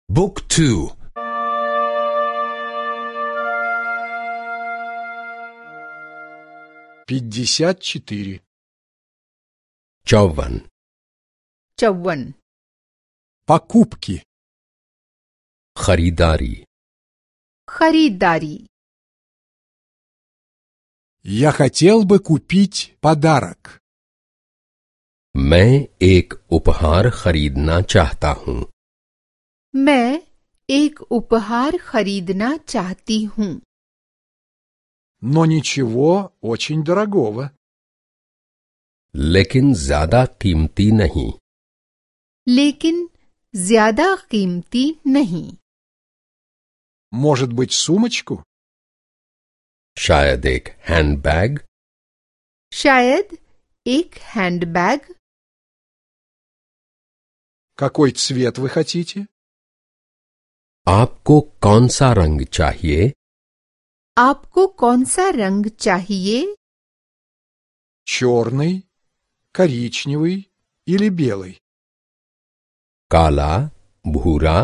Book 2. 54. 54. 54. Покупки. खरीदारी. खरीदारी. Я хотел бы купить подарок. मैं एक उपहार खरीदना चाहता हूँ. मैं एक उपहार खरीदना चाहती हूँ. Но ничего очень дорогого. लेकिन ज्यादा कीमती नहीं. लेकिन ज्यादा कीमती नहीं. Может быть, сумочку? शायद एक हैंडबैग. शायद एक हैंडबैग. Какой цвет вы хотите? आपको कौन सा रंग चाहिए? आपको कौन सा रंग चाहिए? Черный, коричневый или белый? काला, भूरा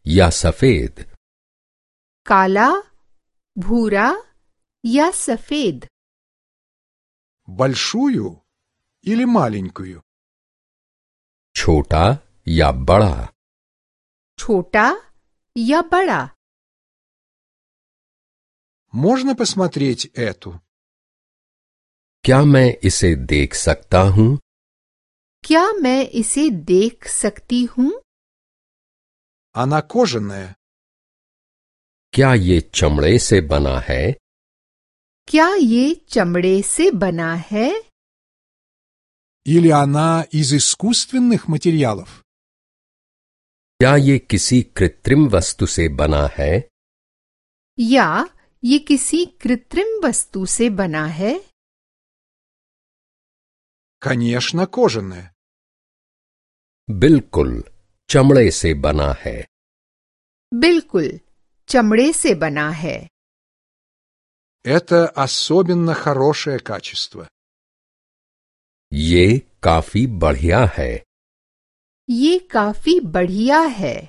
या सफेद? काला, भूरा या सफेद? Большую или маленькую? छोटा या बड़ा? छोटा या बड़ा? Можно посмотреть эту? क्या मैं इसे देख सकता हूँ? क्या मैं इसे देख सकती हूँ? Она кожаная. क्या ये चमड़े से बना है? क्या ये चमड़े से बना है? Или она из искусственных материалов? क्या ये किसी कृत्रिम वस्तु से बना है? या ये किसी कृत्रिम वस्तु से बना है? Конечно, кожаная. बिल्कुल चमड़े से बना है. बिल्कुल चमड़े से बना है. Это особенно хорошее качество. ये काफी बढ़िया है. ये काफी बढ़िया है.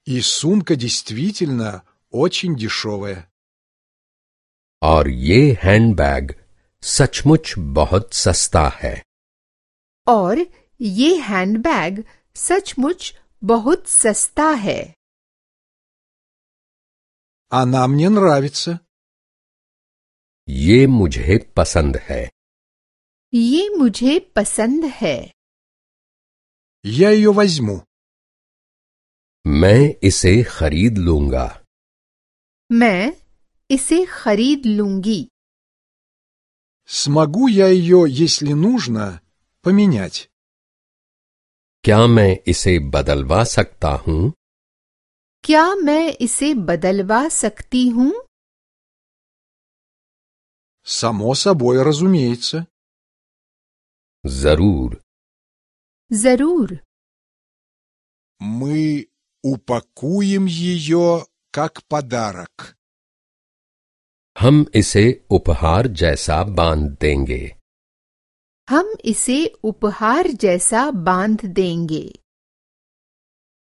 И сумка действительно очень дешевая. और ये हैंडबैग सचमुच बहुत सस्ता है. और ये हैंडबैग सचमुच बहुत सस्ता है. Она мне нравится. ये मुझे पसंद है. ये मुझे पसंद है. Я ее возьму. मैं इसे खरीद लूंगा. मैं इसे खरीद लूंगी. Смогу я ее, если нужно, поменять? क्या मैं इसे बदलवा सकता हूँ? क्या मैं इसे बदलवा सकती हूँ? Само собой, разумеется. जरूर. जरूर. Мы упакуем ее как подарок. हम इसे उपहार जैसा बांध देंगे. हम इसे उपहार जैसा बांध देंगे.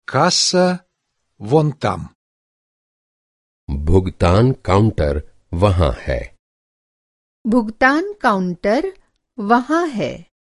Касса вон там. भुगतान काउंटर वहाँ है. भुगतान काउंटर वहाँ है.